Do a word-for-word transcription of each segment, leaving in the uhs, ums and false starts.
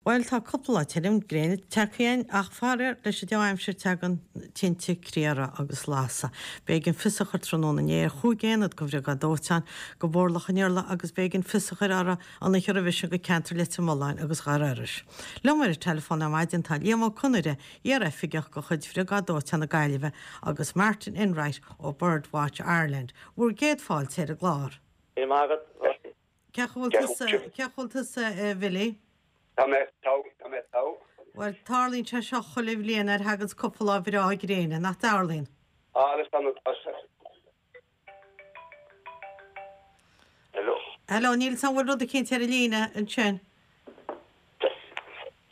Bhuel, tá cúpla lá tirim gréine tagtha againn, ach faraor, leis an dea-aimsir tagann tinte criathraigh agus lasadh. B'éigean fios a chur tráthnóna inné ar chúig aonad de Bhriogáid Dóiteáin go Mhurlach an Iarla agus b'éigean fios a chur orthu an oíche roimhe sin go ceantar Leitir Mealláin agus Gharraí Iorrais. Liom ar an teileafón ar maidin tá Liam Ó Conaire, iar-oifigeach de chuid Bhriogáid Dóiteáin na Gaillimhe agus Martin Enright ó Birdwatch Ireland. Bhur gcéad fáilte ar an gclár. Míle maith agat. Cén chaoi a bhfuil tusa, cén chaoi a bhfuil tusa, a Bhilly? Tá mé togha, tá mé togha. Bhuel, tarlaíonn sé seo chuile bhliain nuair a thaganns cúpla lá breá gréine, nach dtarlaíonn? Ah, is annamh atá sé. Hello. Hello, níl 'fhios a'm an bhfuil rud eicínt ar an líne ansin.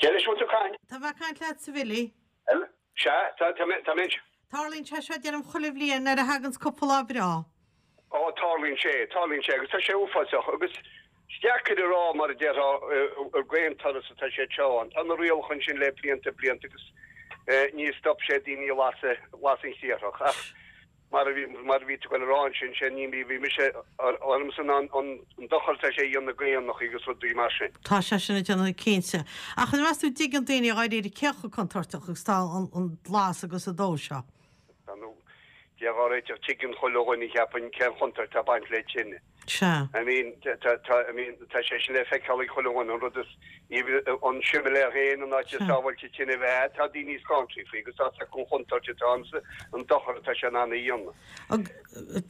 Cé leis a bhfuil tú ag caint? Tá mé ag caint leatsa, a Bhilly. Hello. Sea, tá, tá mé, tá mé anseo. Tarlaíonn sé seo, deirim, chuile bhliain nuair a thaganns cúpla lá breá. Ó, tarlaíonn sé, tarlaíonn sé agus tá sé uafásach agus is deacair a rá mar a déarfá ar d'aon turas atá sé seo ann. Tá na rialacha ansin le blianta blianta agus níor stop sé daoine ag lasadh, lasadh an chriathrach ach mar a bhí, mar a bhí tú ag goil a rá ansin, sé ní bhí mise ormsa ná an dochar atá sé a dhéanamh d'éanacha agus rudaí mar sin. Tá sé sin ag déanamh cinnte. Ach an meas tú an dtuigeann daoine dháiríre cé chomh contúirteach agus atá an lasadh agus an dó seo? Tá nó Dia dhá réiteach tuigeann chuile dhuine cheapfainn cén chontúirt atá ag baint le tine. Sea. I mean, tá, tá, I mean, tá sé sin le feiceáil ag chuile dhuine, an rud is, an similéar féin, an áit is sábháilte tine a bheith, tá daoine scanraithe faoi agus tá 'fhios acu an chontúirt atá ann is an dochar atá sé in ann a dhéanamh.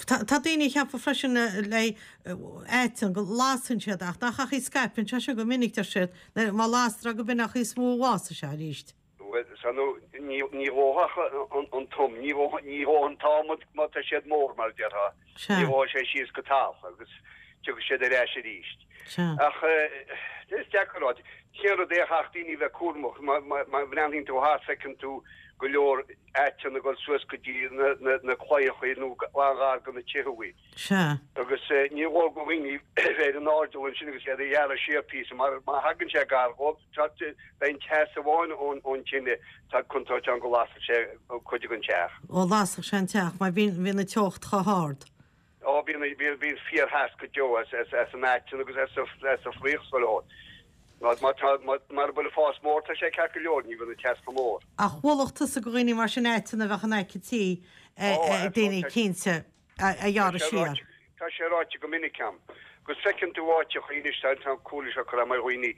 Tá, tá daoine ag ceapadh freisin le aiteann go lasann siad ach nach ach í scaipeann sé sin go minic deir siad, má lastar go b'in an chaoi is mó a bhfásfaidh sé arís. Bhuel, sea, nó ní dhófadh an tom, ní dhófadh an t-adhmad má tá siad mór, mar a déarfá. Ní dhófaidh sé síos go talamh agus tiocfaidh siad ar ais arís. Ach is deacair a rá. Cén rud é a chaithfeadh daoine a bheith cúramach, má bhreathnaíonn tú thart feiceann tú go leor aiteann ag dul suas go dtí na claíochaí nó an-ghar do na tithe. Sea. Agus ní mhór do dhaoine bheith ar an airdeall ansin agus iad a ghearradh siar píosa mar má thagann sé gar dhóibh, tá, beidh an teas amháin ón, ón tine, tá contúirt ann go lasfadh sé cuid den teach. Ó, lasfadh sé an teach mar bhíonn, bhíonn an teocht chomh hard. Ó, bíonn, bíonn, bíonn fíortheas go deo as, as, as an aiteann agus as, as an bhfraoch sa leor. Má, má tá, má, mara bhfuil an fás mór, tá sé ceart go leor, ní bhíonn an teas chomh mór. Ach mholfadh tusa do dhaoine mar sin aiteann a bheadh in aice tí, Ó, daoine cinnte. a ghearradh siar. Tá sé ráite go minic a'm go bhfeiceann tú áiteacha anois tá an comhairle seo curtha a'm ar dhaoine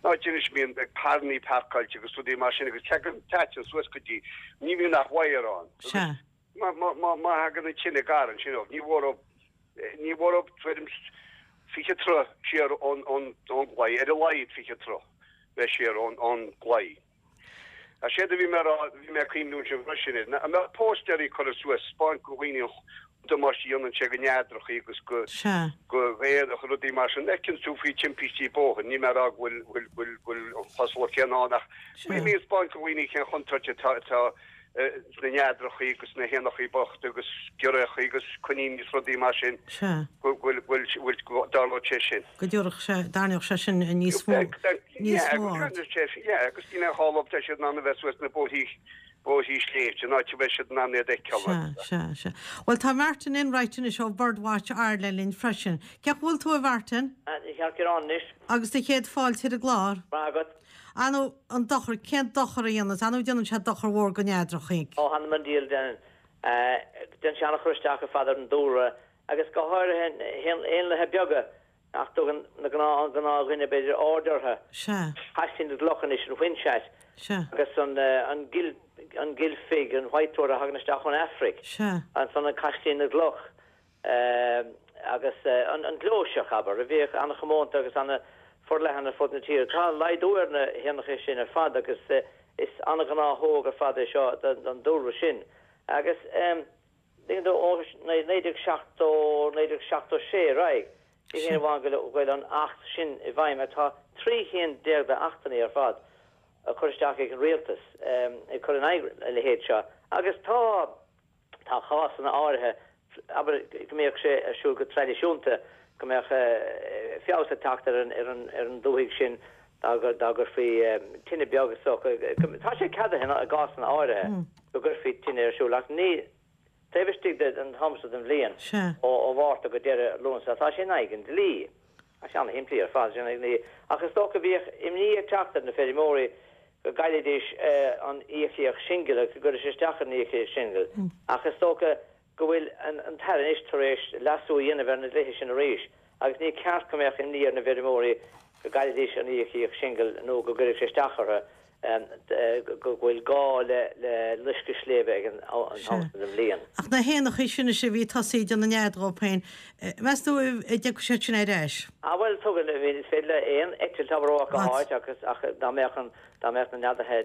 ná anois bíonn carrannaí parcáilte agus rudaí mar sin agus tagann an t-aiteann suas go dtí ní bhíonn ach wire ann agus má má má má thagann an tine gar ansin dóibh ní mhór ní mhór tuairim fiche troigh siar ón ón ón gclaí ar a laghad fiche troigh bheith siar ón ón gclaí. Ach séard a bhí mé a rá, bhí mé ag cuimhniú ansin freisin air, an mbeadh póstaerí curtha suas, 'spáint do dhaoine an damáiste a dhéanann sé do neadrachaí agus go Sea. go héanacha, rudaí mar sin. Feiceann tú faoi timpistí bóthair, níl mé a rá go bhfuil bhfuil bhfuil bhfuil an chosúlacht chéanna ann ach Sea. bhí mé ag 'spáint do dhaoine cén chontúirt atá atá sna neadrachaí agus sna héanachaí bochta agus giorriachaí agus coiníní is rudaí mar sin Sea. go bhfuil bhfuil bhfuil go dtarlódh sé sin. Go dtabharfadh sé, dtarraingeodh sé sin níos mó, níos mó aird. Yeah, agus ní nach álainn tá siad in ann a bheith suas na bóithrí, bóithrí sléibhte, an áit a mbeidh siad in ann iad a fheiceáil. Sea, sea, sea. Bhuel, tá Martin Enright anois ó Birdwatch Ireland linn freisin. Cén chaoi a bhfuil tú, a Mhartin? Ceart go leor anois. Agus do chéad fáilte ar an gclár. Maith agat. Ar ndóigh, an dochar, cén dochar a dhéananns, ar ndóigh déanann sé dochar mhór do neadrachaí. Ó, th'anam 'on diabhal, déanann. Déanann sé an-chur isteach ar fad ar an dúlra agus go háirithe éanlaithe beaga nach dtugann na gnáth, an gnáthdhuine b'fhéidir aird orthu. Sea. Caislín na gCloch anois, an whinchat. Sea. Agus an, an gil, an gilfig, an whitethroat a thagann isteach ón Afraic. Sea. Ansan an caislín na gCloch. Agus an gleoiseach, abair, a bhíodh an-chomónta agus an-fhorleathan ar fud na tíre. Tá laghdú ar na héanacha sin ar fad agus is an-ghnáthóg ar fad é seo don dúlra sin. Agus tuigeann tú, ó naoi déag seachtó, naoi déag seachtó sé ar aghaidh, ní haon amháin go bhfuil an Acht sin i bhfeidhm ach tá trí chinn déag d'achtanna ar fad á cur isteach ag an rialtas ag cur in aghaidh a leithéid seo. Agus tá. Tá cásanna áirithe, abair, go mbíodh sé ar siúl go traidisiúnta, go mbeadh feabhas ag teacht ar an, ar an, ar an dúthaigh sin dá dá gcuirfí tine beag is dócha. Tá sé ceadaithe i gcásanna áirithe go gcuirfí tine ar siúl ach ní taobh istigh den am seo den bhliain, ó Mhárta go deireadh Lúnasa, tá sé in aghaidh an dlí. Tá sé an-shimplí ar fad sin ní ach is dócha bhíodh imní ag teacht ar na feirmeoirí go gcaillfidís an íocaíocht singil agus go gcuirfeadh sé isteach an íocaíocht singil ach is dócha go bhfuil an an tAire anois tar éis leasú a dhéanamh ar na dlíthe sin arís agus ní ceart go mbeadh imní ar na feirmeoirí go gcaillfidís an íocaíocht singil nó go gcuirfeadh sé isteach orthu go bhfuil gá le le loisceadh sléibhe ag an am sin den bhliain. Ach na héanachaí sin is a bhí tosaithe ag déanamh nead dhóibh féin, meas tú an dtiocfaidh siad sin ar ais? Ah bhuel tugann, I mean is féidir le aon eitilt abair ó áit go háit agus ach dá mbeadh an dá mbeadh na neadaithe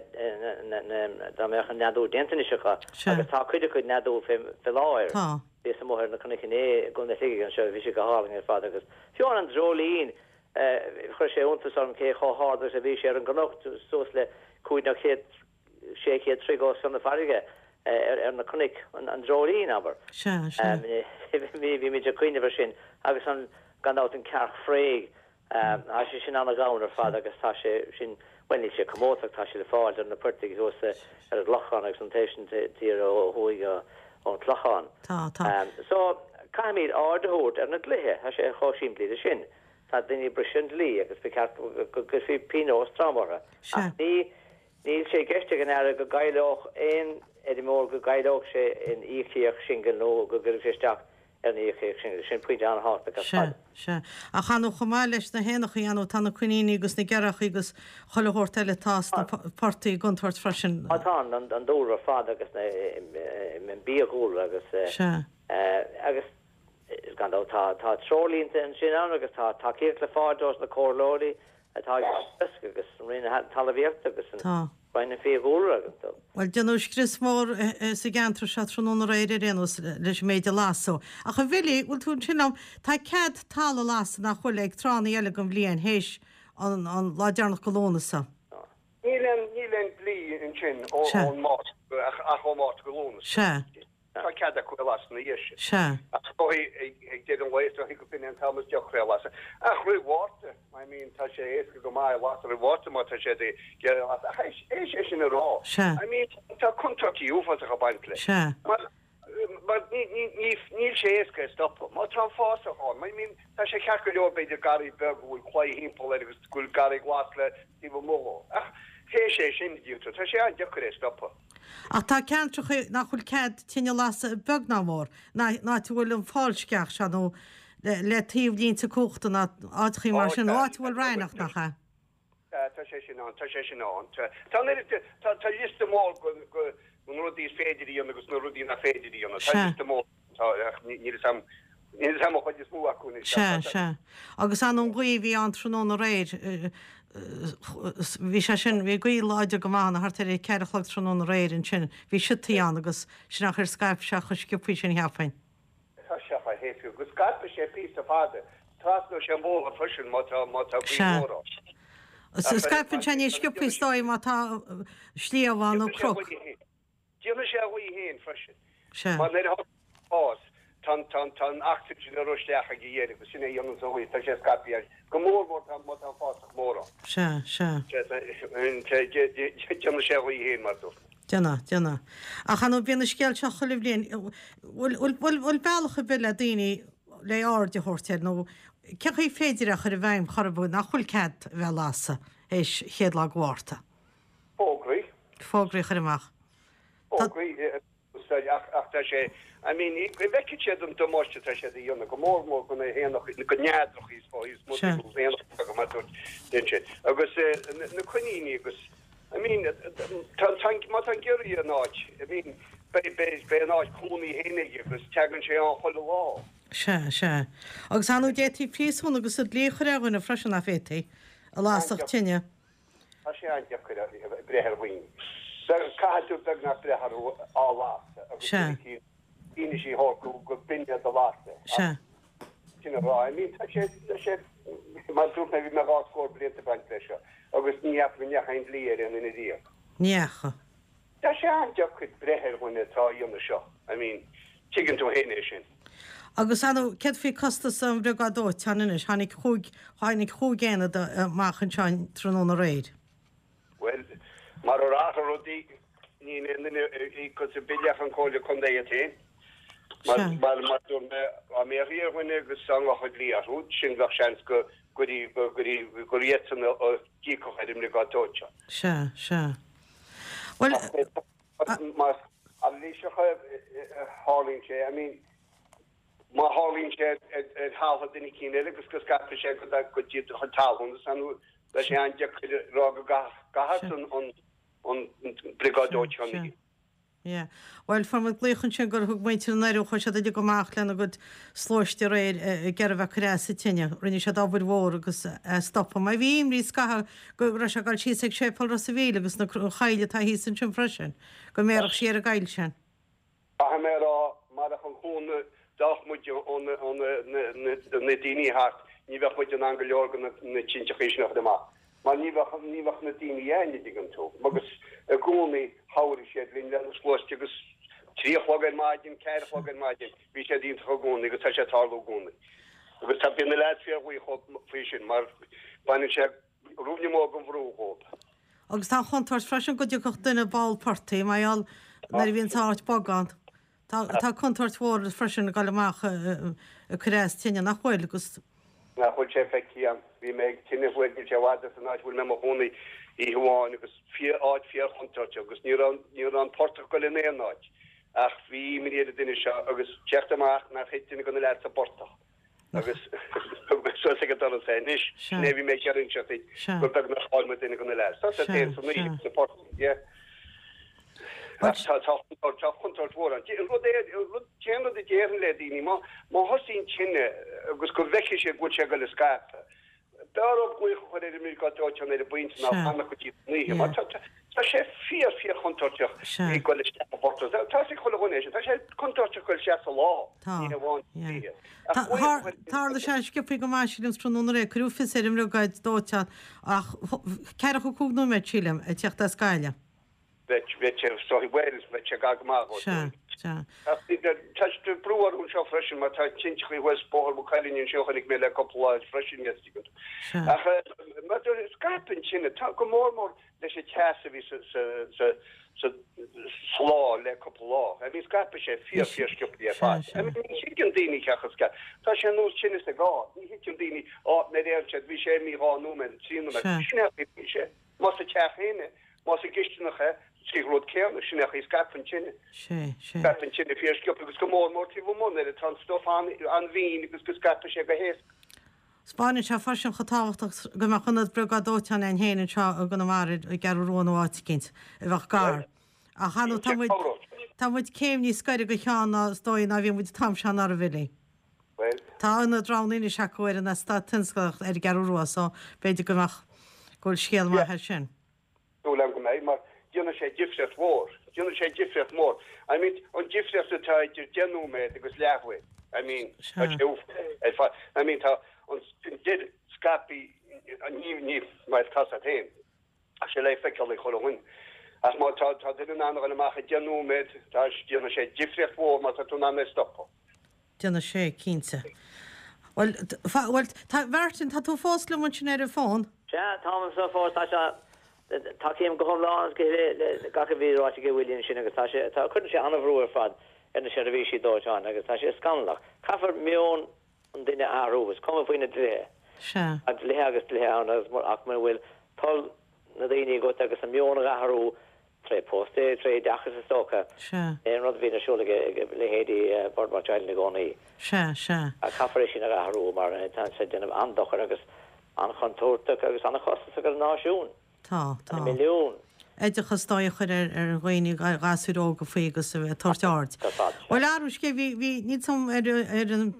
dá mbeadh an neadú déanta anois acu agus tá cuid acu ag neadú fé fé láthair. Tá. Bhíos amuigh ar na cnoic inné i gContae Shligigh anseo, bhí sé go hálainn ar fad agus fiú an dreoilín Chuir sé iontas orm cé chomh hard agus a bhí sé ar an gcnoc, suas le cúig nó chéad, sé chéad troigh os cionn na farraige ar na cnoic, an dreoilín, abair. Sea, sea. Bhí muid ag cuimhneamh air sin agus an, gan dabht, an cearc fraoigh. Tá sé sin an-ghann ar fad agus tá sé sin, bhuel níl sé comónta ach tá sé le fáil ar na portaigh thuas ar an gClochán agus an taobh sin tíre ó thuaidh ón Chlochán. Tá, tá. So, caithfimid aird a thabhairt ar na dlíthe, tá sé chomh simplí le sin. Tá daoine ag briseadh an dlí agus ba cheart go gcuirfí pionós trom orthu. Ach ní, níl sé i gceist ag an Aire go gcaillfeadh aon fheirmeoir, go gcaillfeadh sé an íocaíocht singil nó go gcuirfeadh sé isteach ar an íocaíocht singil. Sin pointe an-thábhachtach ar Sea, fad. sea. Ach ar ndóigh chomh maith leis na héanachaí, ar ndóigh, tá na coiníní agus na gearrchaí agus chuile shórt eile atá sna portaigh i gcontúirt freisin. Á tá, an dúlra ar fad agus na, an biadhúlra agus, Sea. agus Gan dabht tá tá treoirlínte ansin ann agus tá tacaíocht le fáil dos na comhairleoirí atá ag Teagasc agus an Roinn Talmhaíochta agus an Tá. Roinn an Fiadhúlra agus dó. Bhuel, déanadh scrios mór sa gceantar seo tráthnóna aréir ar aon nós leis an méid a lasadh. Ach a Bhilly, bhfuil tú ansin liom, tá cead talamh a lasadh nach bhfuil ag tráthanna eile den bhliain théis an an lá deireanach de Lúnasa. Níl aon níl aon dlí ansin ó Sea. ón Márta ach ach ó Mhárta go Lúnasa. Sea. Tá cead acu é a lasadh ina dhiaidh sin. Sea. Ach is dóigh ag deireadh an lae, is dóigh go b'in é an t-am is deacra é a lasadh. Ach roimh Mhárta, I mean, tá sé éasca go maith é a lasadh roimh Mhárta má tá sé ag iarraidh a lasadh. Ach théis é sin a rá, Sea. I mean, tá contúirtí uafásacha ag baint leis. Sea. Mar, mar ní, ní, ní, níl sé éasca é a stopadh. Má tá an fásach ann, I mean, tá sé ceart go leor b'fhéidir garraí beag go bhfuil claí thimpeall air agus go bhfuil garraí glas le taobh amuigh dhó. Ach théis é sin, tá sé an-deacair é a stopadh. Ach tá ceantracha nach bhfuil cead tine a lasadh beag ná mór, ná áit a bhfuil an fálsceach seo nó le taobh línte cumhachta ná áiteachaí mar sin, nó áit a bhfuil raithneach, nach ea? Tá sé sin ann, tá sé sin ann. Tá an oiread, tá tá liosta mór go go na rudaí is féidir a dhéanamh agus na rudaí nach féidir a dhéanamh. Tá Sea. liosta mór, tá, ach níl fhios a'm, níl fhios a'm an chuid is mó acu anois. Sea, sea. Agus an an ghaoth a bhí ann tráthnóna aréir, bhí sé sin, bhí gaoth láidir go maith ann thart ar a ceathair a chlog tráthnóna aréir ansin, bhí siotaí ann agus sin nach ar scaip sé chomh sciobthaí sin cheapfainn. Tá sé fá thaobh go scaipfidh sé píosa fada, trasnóidh sé an bóthar freisin má tá má tá gaoth Sea. mhór ann. Scaipeann sé níos sciobthaí is dóigh má tá sliabh ann nó cnoc. Déanfaidh sé a ghaoth féin freisin. Sea. Mar nuair a fás, tá tá tá an ocsaigin ag rith isteach ag a dheireadh agus sin é a dhéanann an ghaoth, tá sé scaipthe go mór mór tá má tá an fásach mór ann. Sea, sea. Déanfaidh sé a ghaoth féin mar dúirt. Déanfaidh, déanfaidh. Ach ar ndóigh bíonn an scéal seo chuile bhliain, bhfuil bhfuil bhfuil bealach ar bith le daoine le aird a thabhairt air nó cén chaoi féidir é a chur i bhfeidhm chor ar bith nach bhfuil cead a bheith ag lasadh théis chéad lá de Mhárta? Fógraí. Fógraí a chur amach. Fógraí ach ach tá sé, I mean, go bhfeicfidh siad an damáiste atá siad a dhéanamh, go mór mór go na héanacha, go neadracha is fá is mó Sea. go héanacha go mar dúirt den sin. Agus na na coiníní agus I mean, tá tá má tá giorria in áit, I mean, beidh beidh beidh an áit cónaí féin aige agus teagann sé ann chuile lá. Sea, sea. Agus ar ndóigh d'fhéadfaí príosún agus an dlí a chur ar dhuine freisin nach bhféadfaí, a lasfadh tine. Tá sé an-deacair breith ar dhaoine. Caithfidh tú beagnach breith orthu á lasadh agus Sea. fianaise a thabhairt go go b'in iad a las é. Sea. Sin a rá. I mean, tá sé tá sé mar dúirt mé bhí mé dhá scór blianta ag baint leis seo agus ní fhaca go ndeachaigh aon dlí ar aon duine riamh. Ní fhaca. Tá sé an-deacair breith ar dhuine atá á dhéanamh seo. I mean, tuigeann tú féin é sin. Agus ar ndóigh, céard faoi costas an bhriogáid dóiteáin anois? Tháinig chúig tháinig chúig aonad amach anseo tráthnóna aréir. Well, mar a rátha rudaí ní aon duine a íocfas an bille ach an Chomhairle Contae iad féin. Mar Sea. mar mar dúirt mé dá mbéarfaí ar dhuine agus dá ngabhadh dlí orthu, sin bheadh seans go gur gur gur iadsan a d'íocfadh ar an mbriogáid dóiteáin. Sea, sea. Bhuel, Más anailíseach a tharlaíonn sé, I mean, má tharlaíonn sé ar thalamh duine éicint eile agus go scaipfidh sé go go dtí do chuid talún, is ann beidh sé an-deacair a rá go gcaithfear an an briogáid dóiteáin a Yeah. Bhuel, fuair muid glaoch ansin gur thug muintir na nDoirí, chuaigh siad uilig amach lena gcuid sluaiste aréir ag iarraidh a bheith ag cur as an tine. Rinne siad obair mhór agus é stopadh. Mar bhí imní scaitheamh go raibh sé ag dul síos ag Séipéal Ros a' Mhíl agus na an choill atá thíos ansin freisin, go mbéarfadh sí ar an gcoill sin. Caithfidh mé a rá, marach an cúnamh d'fhág muid ó na na daoine thart, ní bheadh muid in ann go leor de na tinteachaí sin a chur amach. Mar ní bheadh, ní bheadh na daoine ann, an dtuigeann tú. Agus i gcónaí chabhraigh siad linn le na sluaiste agus trí a chlog ar maidin, ceathair a chlog ar maidin, bhí siad iontach i gcónaí agus tá sé ag tarlú i gcónaí. Agus tá, bíonn na leaids fíor-bhuíoch faoi sin mar baineann sé ruainne mór den bhrú dhóibh. Agus tá an chontúirt freisin go dtiocfadh duine ball portaigh, mar gheall nuair a bhíonn áit bog ann. Tá, tá contúirt mhór freisin ag dul amach ag cur as tine, nach bhfuil, agus. Nach bhfuil sé feicthe agam. Bhí mé ag tine thuaidh, níl sé i bhfad as an áit a bhfuil mé i mo chónaí, oíche amháin agus fíor, áit fíor-chontúirteach agus ní raibh, ní raibh an portach ag dul in aon áit ach bhí imní ar an duine seo agus teacht amach nár thit duine de na leaids sa bportach agus thug mé suas ag an doras é. Anois, sin é a bhí mé ag iarraidh inseacht duit, gur beag nár chaill muid duine de na leaids. Tá sé féin san oíche sa phortach, yeah. Ach tá, tá, tá contúirt mhór ann. An rud é, an rud, cén rud a déarfainn le daoine, má, má thosaíonn tine agus go bhfeicfidh siad go bhfuil sé ag dul a scaipeadh, b'fhearr dóibh glaoch a chur ar an mbriogáid dóiteáin ar an bpointe ná fanacht go dtí an oíche, mar tá, tá, tá sé fíor, fíor chontúirteach ag dul isteach i bportach. Tá, tá a fhios ag chuile dhuine é sin. Tá sé contúirteach dul isteach sa lá, ní hamháin san oíche. Ach glaoch a chur ar an Tharla sé sciobthaí go maith sílim tráthnóna aréir, cuireadh fios ar an mbriogáid dóiteáin ach ceathracha cúig nóiméad sílim ag teacht as Gaillimh. Bheadh, bheadh sé, sorry, bhuel, bheadh sé gar go maith dhó, Sea, sea. Ach bhí, tá sé brú orthu anseo freisin mar tá tinteachaí thuas Bóthar Mhaigh Cuilinn anseo a chonaic mé le cúpla lá freisin, yes, tuigeann tú. Sea. Ach mar scaipeann tine, tá go mór mór leis an teas a bhí sa, sa, sa, sa, sa lá le cúpla lá. I mean, scaipeann sé fíor, fíor sciobthaí ar Sea, fad. sea. I mean, ní thuigeann daoine cé chomh scaip. Tá sé ar nós tinneas ag gá. Ní thuigeann daoine, á, nuair a deireann siad, bhí sé imithe dhá nóiméad, trí nóiméad. Sea. Sin é a bhí sé. Más sa teach féin é. Más i gcisteanach é, sé an rud céanna, sin é an chaoi a scaipeann tine. Sé, sé. Scaipeann tine fíor sciobtha agus go mór mór taobh amuigh nuair atá an stuif an-mhín agus go scaipeann sé go héasca. 'Spáineann sé freisin chomh tábhachtach go mbeadh ionad briogáid dóiteáin ann féin anseo i gConamara, i gCeathrú Rua nó áit eicínt a bheadh gar. Ach ar ndóigh tá muid, tá muid céim níos gaire do cheann ná is dóigh ná bhí muid an t-am seo anuraidh, a Bhilly. Bhuel. Tá ionad roghnaithe anois acu ar an eastát tionsclaíoch ar an gCeathrú Rua so b'fhéidir go mbeadh, go bhfuil scéal maith air sin. Súil agam go mbeidh, mar déanfaidh sé difríocht mhór. Déanfaidh sé difríocht mhór. I mean, an difríocht atá idir deich nóiméad agus leathuair, I mean, tá sé uafásach ar fad. I mean, tá an deir scaiptí, ní, ní, mar tá a fhios agat féin, tá sé le feiceáil ag chuile dhuine. Ach má tá, tá duine in ann a dhul amach i deich nóiméad, tá, déanfaidh sé difríocht mhór má tá tú in ann é a stopadh. Déanfaidh sé, cinnte. Bhuel, bhuel, tá, Mhartin, tá tú fós liom ansin ar an bhfón? Sea, táim anseo fós. Tá sé, tacaím go hiomlán agus go huile le gach a bhí ráite ag Willie ansin agus tá sé, tá, cuireann sé an-bhrú ar fad ar na seirbhísí dóiteáin agus tá sé scannalach. Caithfear meon an duine a athrú, is cuma faoi na dlíthe. Sea. Tá dlíthe agus dlíthe ann agus, ach mura bhfuil toil na daoine agat agus a meon a athrú, Tré póstaeir, tré oideachas is dócha. Sea. É an rud a bhíonn ar siúl ag leithéidí Birdwatch Ireland i gcónaí. Sea, sea. Ach caithfear é sin a athrú mar tá sé ag déanamh an-dochair agus an-chontúirteach agus an-chostasach ar an náisiún. Tá, tá. Na milliúin. Oideachas dóigh a chur ar ar dhaoine, ar ghasúir óga faoi agus a bheith ag tabhairt aird. Ar fad, sea. Bhuel, athrú scéil, bhí, bhí, níl 's a'm ar ar an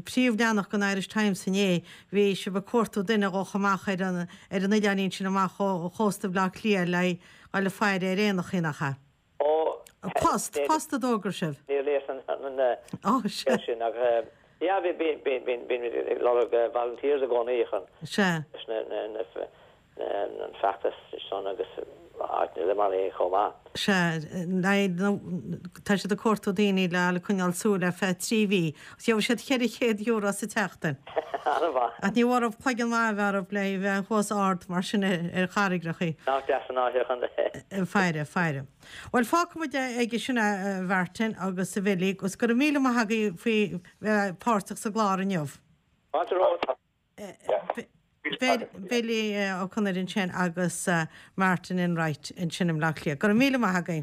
príomhleathanach den Irish Times inné, bhí sibh ag cuartú duine a ghabhfadh amach ar an ar an oileáinín sin amach ó chósta Bhaile Átha Cliath le Dhul ag faire ar éanachaí, nach ea? Ó, Post, post a d'fhógair sibh. Níor léas an Ó, sea. scéal sin ach yeah, bhí, bíonn, bíonn, bíonn, bíonn ag lorg volunteers i gcónaí chun Sea. leis na, na, na, na, an feachtas san agus áiteanna eile mar é chomh maith. Sea, le, tá siad ag cuartú daoine le le coinneáil súil ar feadh trí mhí. Agus gheobhaidh siad ceithre chéad euro sa tseachtain. An-mhaith. Ach ní mhór cloigeann maith a bheith orthu le bheith thuas ard mar sin ar charraigreachaí. Nach deas an áit a chun. Faire, faire. Bhuel, fágfaidh muid aige sin a Mhartin agus a Bhilly agus go raibh míle maith agaibh faoi bheith páirteach sa gclár inniu. Fáilte romhat. Billy Ó Conaire ansin agus Martin Enright ansin i mBleá Cliath. Go raibh míle maith agaibh.